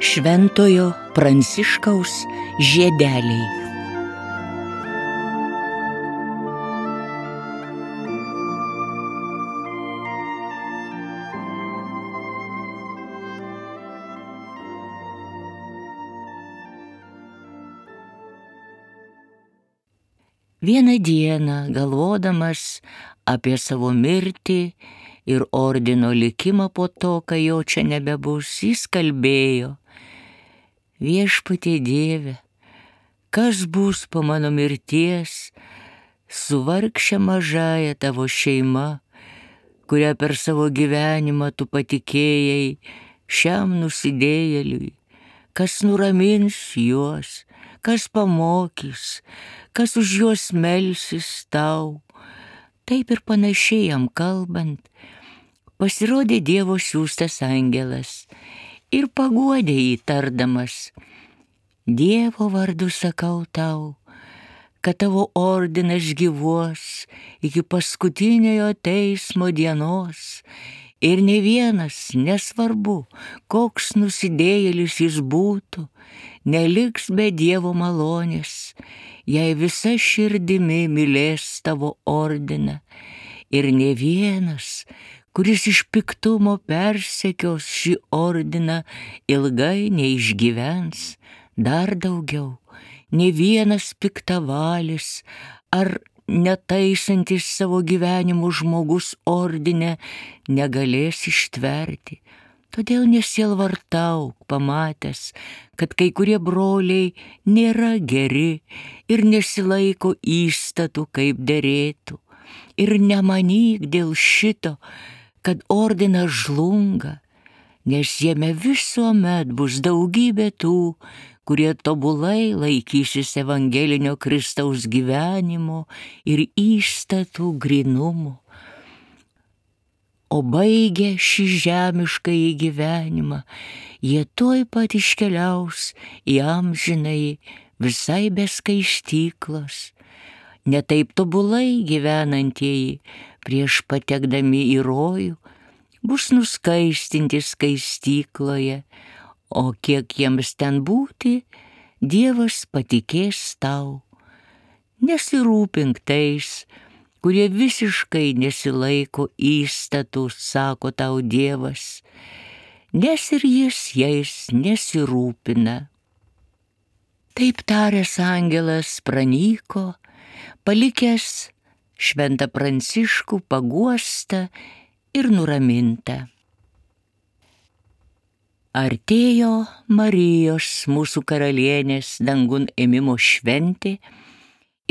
Šventojo Pranciškaus žiedeliai. Vieną dieną, galvodamas apie savo mirtį ir ordino likimą po to, kai jo čia nebebus, jis kalbėjo: Viešpatie Dieve, kas bus po mano mirties su vargše mažaja tavo šeima, kurią per savo gyvenimą tu patikėjai šiam nusidėjėliui, kas nuramins juos, kas pamokys, kas už juos melsis tau. Taip ir panašiai jam kalbant, pasirodė Dievo siųstas angelas ir paguodė jį tardamas: Dievo vardu sakau tau, kad tavo ordinas gyvuos iki paskutiniojo teismo dienos ir ne vienas, nesvarbu, koks nusidėjėlis jis būtų, neliks be Dievo malonės, jei visa širdimi mylės tavo ordiną, ir ne vienas, kuris iš piktumo persekios šį ordiną, ilgai neišgyvens. Dar daugiau, ne vienas piktavalis ar netaisantis savo gyvenimų žmogus ordine negalės ištverti. Todėl nesielvartauk, pamatęs, kad kai kurie broliai nėra geri ir nesilaiko įstatų, kaip derėtų. Ir nemanyk dėl šito, kad ordinas žlunga, nes jame visuomet bus daugybė tų, kurie tobulai laikysis evangelinio Kristaus gyvenimo ir įstatų grynumo. O baigę šį žemiškąjį gyvenimą, jie tuoj pat iškeliaus į amžinąjį visai be skaistyklos. Netaip tobulai gyvenantieji prieš patekdami į rojų bus nuskaistinti skaistykloje, o kiek jiems ten būti, Dievas patikės tau. Nesirūpink tais, kurie visiškai nesilaiko įstatų, sako tau Dievas, nes ir jis jais nesirūpina. Taip taręs angelas pranyko, palikęs šventą Pranciškų paguostą ir nuramintą. Artėjo Marijos, mūsų karalienės, dangun ėmimo šventė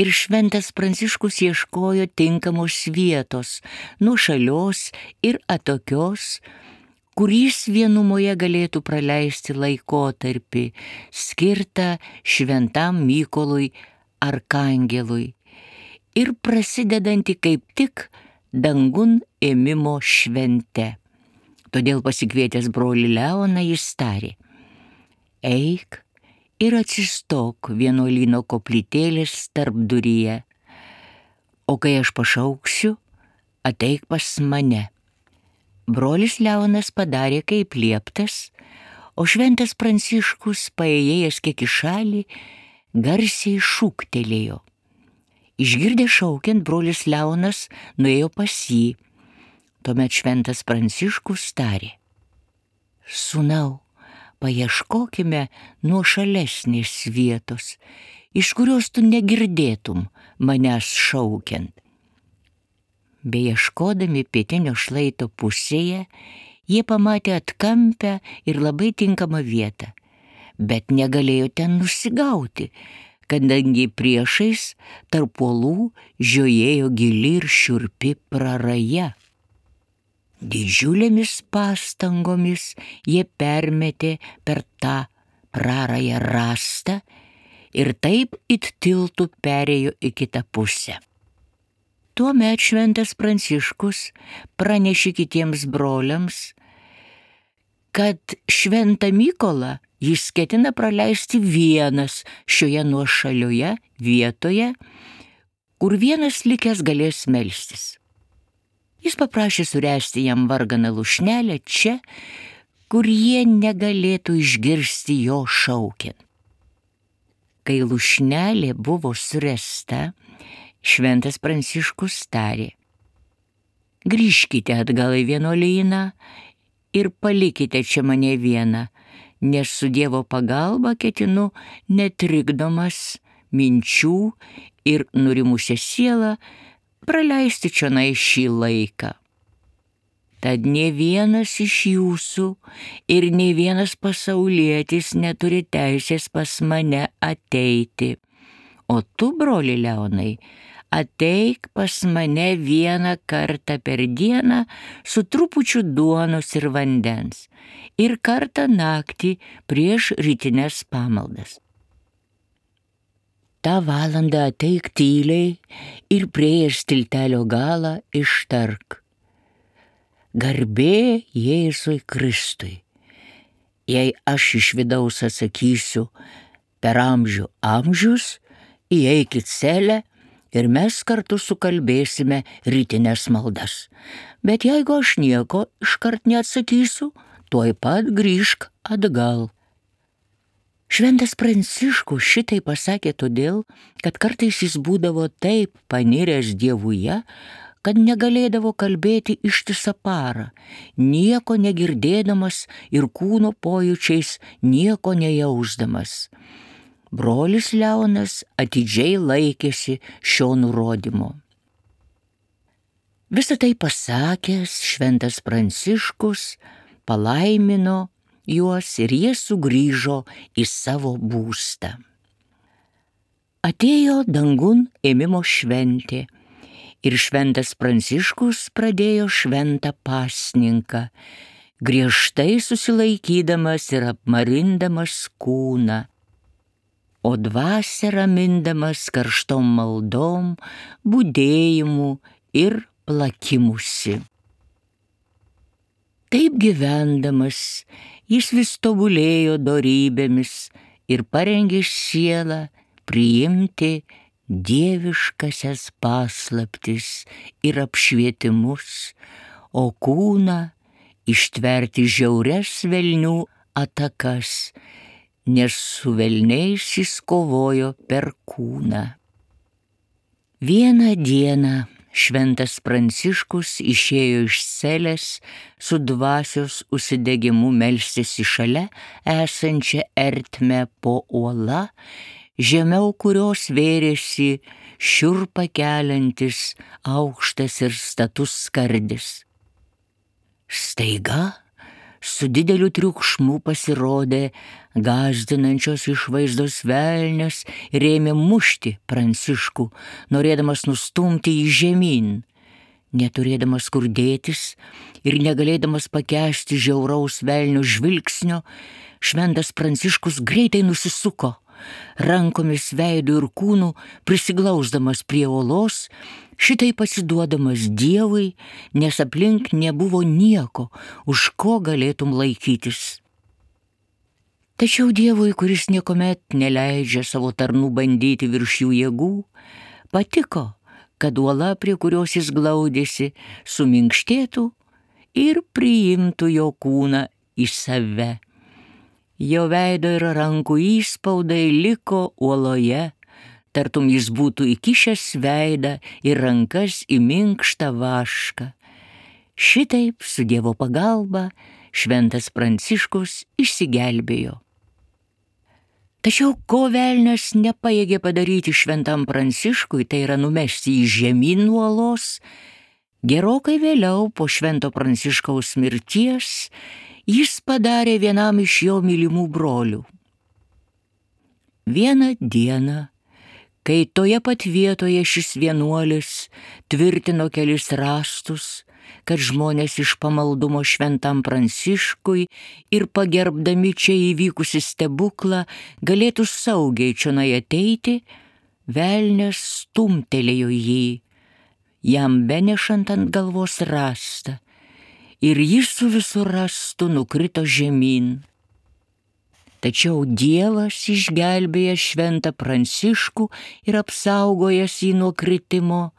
ir šventas Pranciškus ieškojo tinkamos vietos, nuošalios ir atokios, kur jis vienumoje galėtų praleisti laikotarpį skirtą šventam Mykolui arkangelui ir prasidedantį kaip tik dangun ėmimo švente. Todėl pasikvietęs brolį Leoną jis tarė: Eik ir atsistok vienuolyno koplytėlės tarpduryje, o kai aš pašauksiu, ateik pas mane. Brolis Leonas padarė kaip lieptas, o šventas Pranciškus, paėjęs kiek į šalį, garsiai šūktelėjo. Išgirdęs šaukiant, brolis Leonas nuėjo pas jį. Tuomet šventas Pranciškus tarė: Sūnau, paieškokime nuošalesnės vietos, iš kurios tu negirdėtum manęs šaukiant. Beieškodami pietinio šlaito pusėje, jie pamatė atkampę ir labai tinkamą vietą, bet negalėjo ten nusigauti, kadangi priešais tarp uolų žiojėjo gili ir šiurpi praraja. Didžiulėmis pastangomis jie permetė per tą prarają rąstą ir taip it tiltų perėjo į kitą pusę. Tuomet šventas Pranciškus pranešė kitiems broliams, kad šventą Mykolą jis ketina praleisti vienas šioje nuošalioje vietoje, kur vienas likęs galės melstis. Jis paprašė suręsti jam varganą lūšnelę čia, kur jie negalėtų išgirsti jo šaukiant. Kai lūšnelė buvo suręsta, šventas Pranciškus tarė: grįžkite atgal į vienuolyną ir palikite čia mane vieną, nes su Dievo pagalba ketinu netrikdomas minčių ir nurimusią sielą praleisti čionai šį laiką. Tad nė vienas iš jūsų ir nė vienas pasaulietis neturi teisės pas mane ateiti. O tu, broli Leonai, ateik pas mane vieną kartą per dieną su trupučiu duonos ir vandens ir kartą naktį prieš rytines pamaldas. Ta valandą ateik tyliai ir priėjęs tiltelio galą ištark: garbė Jėzui Kristui. Jei aš iš vidaus atsakysiu: per amžių amžius, įeik į celę ir mes kartu sukalbėsime rytines maldas. Bet jeigu aš nieko iškart neatsakysiu, tuoj pat grįžk atgal. Šventas Pranciškus šitai pasakė todėl, kad kartais jis būdavo taip paniręs Dievuje, kad negalėdavo kalbėti ištisą parą, nieko negirdėdamas ir kūno pojūčiais nieko nejausdamas. Brolis Leonas atidžiai laikėsi šio nurodymo. Visą tai pasakęs, šventas Pranciškus palaimino juos ir jie sugrįžo į savo būstą. Atėjo dangun ėmimo šventė ir šventas Pranciškus pradėjo šventą pasninką, griežtai susilaikydamas ir apmarindamas kūną, o dvasią ramindamas karštom maldom, budėjimu ir plakimusi. Taip gyvendamas, jis vis tobulėjo dorybėmis ir parengė sielą priimti dieviškasias paslaptis ir apšvietimus, o kūną ištverti žiaurias velnių atakas, nes su velniais jis kovojo per kūną. Vieną dieną šventas Pranciškus išėjo iš celės su dvasios užsidegimu melstis į šalia esančią ertmę po uola, žemiau kurios vėrėsi šiurpą keliantis aukštas ir status skardis. Staiga su dideliu triukšmu pasirodė gąsdinančios išvaizdos velnias ir ėmė mušti Pranciškų, norėdamas nustumti jį žemyn. Neturėdamas kur dėtis ir negalėdamas pakęsti žiauraus velnio žvilgsnio, šventas Pranciškus greitai nusisuko, rankomis, veidu ir kūnu prisiglausdamas prie uolos, šitai pasiduodamas Dievui, nes aplink nebuvo nieko, už ko galėtum laikytis. Tačiau Dievui, kuris niekuomet neleidžia savo tarnų bandyti virš jų jėgų, patiko, kad uola, prie kurios jis glaudėsi, suminkštėtų ir priimtų jo kūną į save. Jo veido ir rankų įspaudai liko uoloje, tartum jis būtų įkišęs veidą ir rankas į minkštą vašką. Šitaip su Dievo pagalba šventas Pranciškus išsigelbėjo. Tačiau ko velnias nepajėgė padaryti šventam Pranciškui, tai yra numesti į žemyn nuo uolos, gerokai vėliau po švento Pranciškaus mirties jis padarė vienam iš jo mylimų brolių. Vieną dieną, kai toje pat vietoje šis vienuolis tvirtino kelis raštus, kad žmonės iš pamaldumo šventam Pranciškui ir pagerbdami čia įvykusi stebuklą galėtų saugiai čionai ateiti, velnias stumtelėjo jį, jam benešant ant galvos rastą, ir jis su visu rastu nukrito žemyn. Tačiau Dievas išgelbėjęs šventą Pranciškų ir apsaugojęs jį nuo kritimo,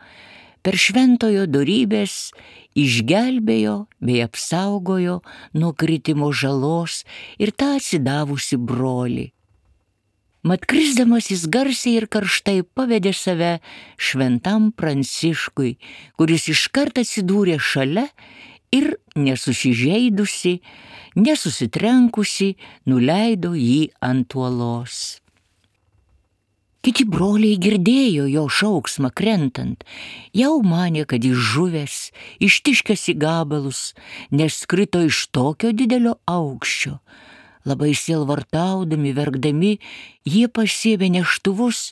per šventojo dorybės išgelbėjo bei apsaugojo nuo kritimo žalos ir tą atsidavusi brolį. Mat krisdamas jis garsiai ir karštai pavedė save šventam Pranciškui, kuris iškart atsidūrė šalia ir nesusižeidusi, nesusitrenkusi, nuleido jį ant uolos. Kiti broliai girdėjo jo šauksmą krentant, jau manė, kad jis žuvęs, ištiškęs į gabalus, nes krito iš tokio didelio aukščio. Labai sielvartaudami, verkdami, jie pasiėmė neštuvus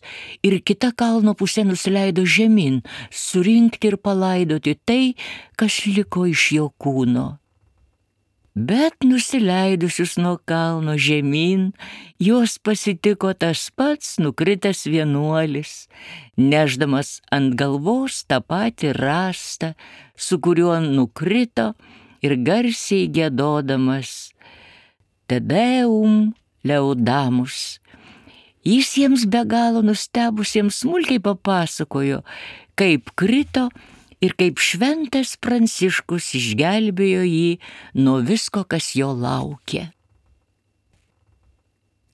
ir kita kalno pusė nusileido žemyn, surinkti ir palaidoti tai, kas liko iš jo kūno. Bet nusileidusius nuo kalno žemyn, juos pasitiko tas pats nukritęs vienuolis, nešdamas ant galvos tą patį rąstą, su kuriuo nukrito ir garsiai giedodamas Te Deum Laudamus. Jis jiems be galo nustebusiems smulkiai papasakojo, kaip krito ir kaip šventas Pranciškus išgelbėjo jį nuo visko, kas jo laukė.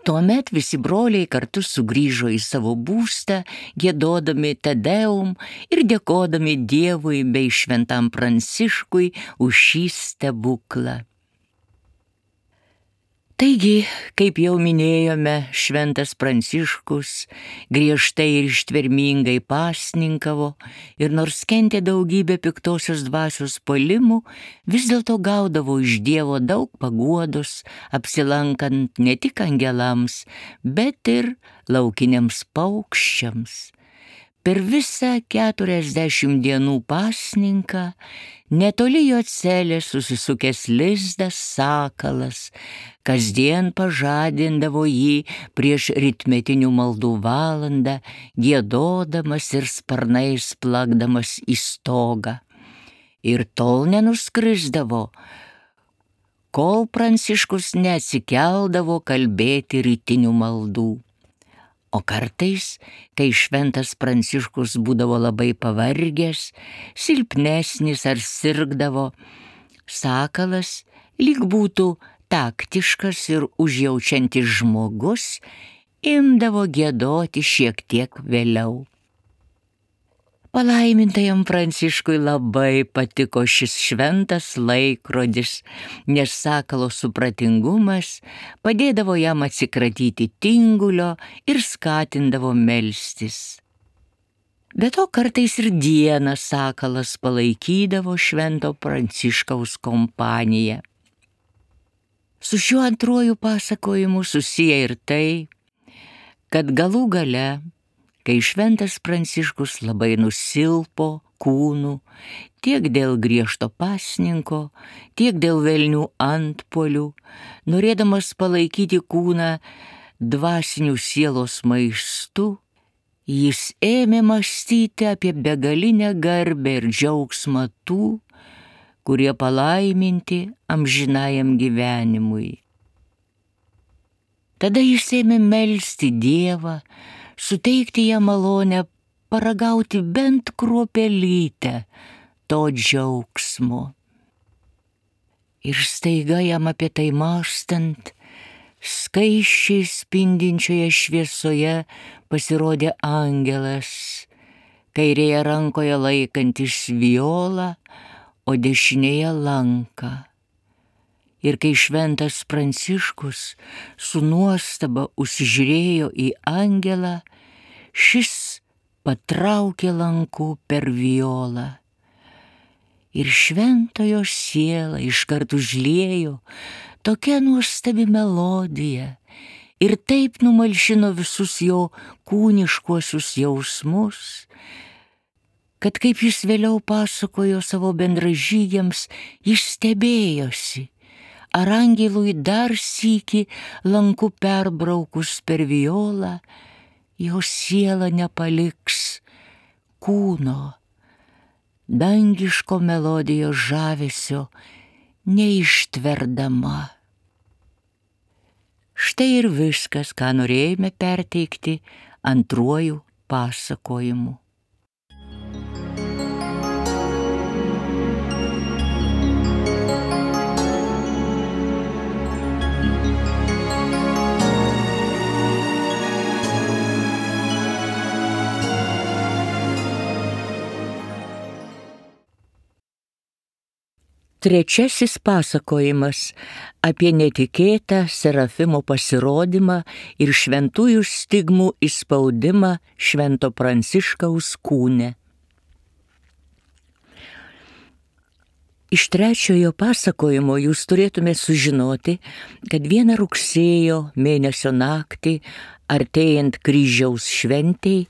Tuomet visi broliai kartu sugrįžo į savo būstą, giedodami Te Deum ir dėkodami Dievui bei šventam Pranciškui už šį stebuklą. Taigi, kaip jau minėjome, šventas Pranciškus griežtai ir ištvermingai pasninkavo ir nors kentė daugybę piktosios dvasios puolimų, vis dėlto gaudavo iš Dievo daug paguodos, apsilankant ne tik angelams, bet ir laukiniams paukščiams. Per visą 40 dienų pasninką netoli jo celės susisukęs lizdas sakalas kasdien pažadindavo jį prieš rytmetinių maldų valandą, giedodamas ir sparnais plakdamas į stogą. Ir tol nenuskrisdavo, kol Pranciškus neatsikeldavo kalbėti rytinių maldų. O kartais, kai šventas Pranciškus būdavo labai pavargęs, silpnesnis ar sirgdavo, sakalas, lyg būtų taktiškas ir užjaučiantis žmogus, imdavo giedoti šiek tiek vėliau. Palaimintajam Pranciškui labai patiko šis šventas laikrodis, nes sakalo supratingumas padėdavo jam atsikratyti tingulio ir skatindavo melstis. Be to kartais ir dieną sakalas palaikydavo švento Pranciškaus kompaniją. Su šiuo antruoju pasakojimu susiję ir tai, kad galų gale, kai šventas Pranciškus labai nusilpo kūnu, tiek dėl griežto pasninko, tiek dėl velnių antpuolių, norėdamas palaikyti kūną dvasinių sielos maistu, jis ėmė mąstyti apie begalinę garbę ir džiaugsmą tų, kurie palaiminti amžinajam gyvenimui. Tada jis ėmė melsti Dievą, suteikti jam malonę paragauti bent kruopelytę to džiaugsmo. Ir staiga jam apie tai mąstant, skaisčiai spindinčioje šviesoje pasirodė angelas, kairėje rankoje laikantis violą, o dešinėje lanką. Ir kai šventas Pranciškus su nuostaba užsižiūrėjo į angelą, šis patraukė lanku per violą. Ir šventojo sielą iškart užliejo tokia nuostabi melodija ir taip numalšino visus jo kūniškuosius jausmus, kad kaip jis vėliau pasakojo savo bendražygiams, jis stebėjosi, ar angelui dar sykį lanku perbraukus per violą, jo siela nepaliks kūno, dangiško melodijos žavesio neištverdama. Štai ir viskas, ką norėjome perteikti antruoju pasakojimu. Trečiasis pasakojimas apie netikėtą Serafimo pasirodymą ir šventųjų stigmų įspaudimą Švento Pranciškaus kūne. Iš trečiojo pasakojimo jūs turėtume sužinoti, kad vieną rugsėjo mėnesio naktį, artėjant kryžiaus šventei,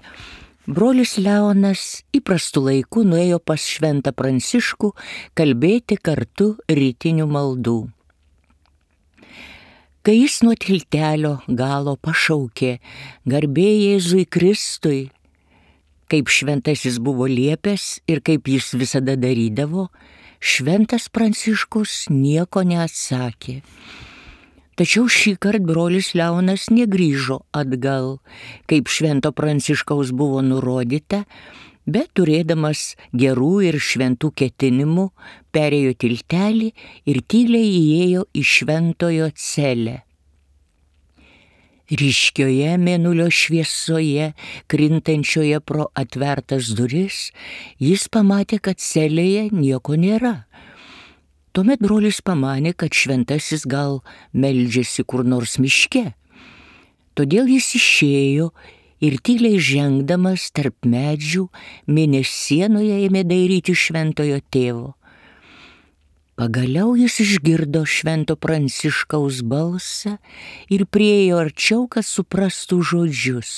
brolis Leonas įprastu laiku nuėjo pas Šventą Pranciškų kalbėti kartu rytinių maldų. Kai jis nuo tiltelio galo pašaukė garbė Jėzui Kristui, kaip šventasis buvo liepęs ir kaip jis visada darydavo, Šventas Pranciškus nieko neatsakė. Tačiau šįkart brolis Leonas negrįžo atgal, kaip Švento Pranciškaus buvo nurodyta, bet turėdamas gerų ir šventų ketinimų, perėjo tiltelį ir tyliai įėjo į šventojo celę. Ryškioje mėnulio šviesoje, krintančioje pro atvertas duris, jis pamatė, kad celėje nieko nėra. Tuomet brolis pamanė, kad šventasis gal meldžiasi kur nors miške. Todėl jis išėjo ir tyliai žengdamas tarp medžių mėnesienoje ėmė dairyti šventojo tėvo. Pagaliau jis išgirdo Švento Pranciškaus balsą ir priėjo arčiau, kad suprastų žodžius.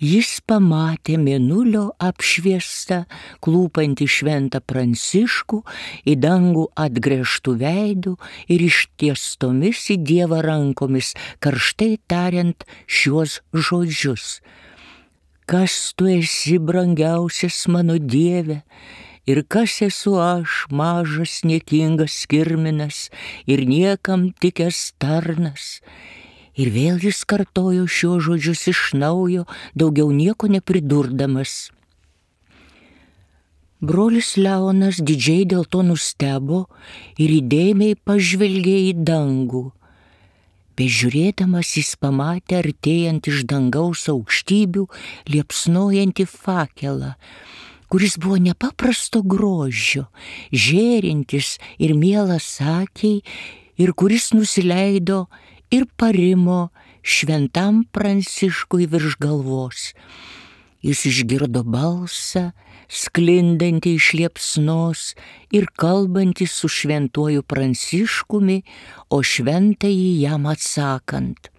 Jis pamatė mėnulio apšviestą, klūpantį Šventą Pranciškų, į dangų atgręžtų veidų ir ištiestomis į Dievą rankomis, karštai tariant šiuos žodžius. Kas tu esi, brangiausias mano Dieve? Ir kas esu aš, mažas niekingas kirminas ir niekam tikęs tarnas? Ir vėl jis kartojo šiuos žodžius iš naujo, daugiau nieko nepridurdamas. Brolis Leonas didžiai dėl to nustebo ir įdėmiai pažvelgė į dangų. Bežiūrėdamas jis pamatė artėjant iš dangaus aukštybių liepsnojantį fakelą, kuris buvo nepaprasto grožio, žėrintis ir mielas akiai, ir kuris nusileido ir parimo Šventam Pranciškui virš galvos. Jis išgirdo balsą, sklindantį iš liepsnos ir kalbantį su Šventuoju Pranciškumi, o šventąjį jam atsakant.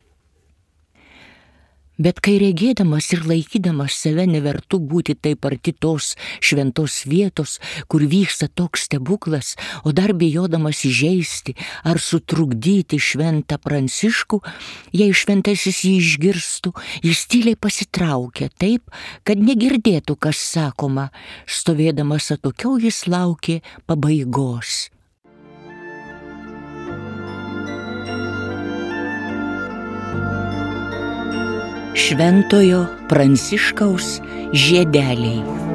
Bet kai regėdamas ir laikydamas save nevertu būti taip arti tos šventos vietos, kur vyksta toks stebuklas, o dar bijodamas įžeisti ar sutrukdyti Šventą Pranciškų, jei šventasis jį išgirstų, jis tyliai pasitraukė taip, kad negirdėtų, kas sakoma. Stovėdamas atokiau jis laukė pabaigos. Šventojo Pranciškaus žiedeliai.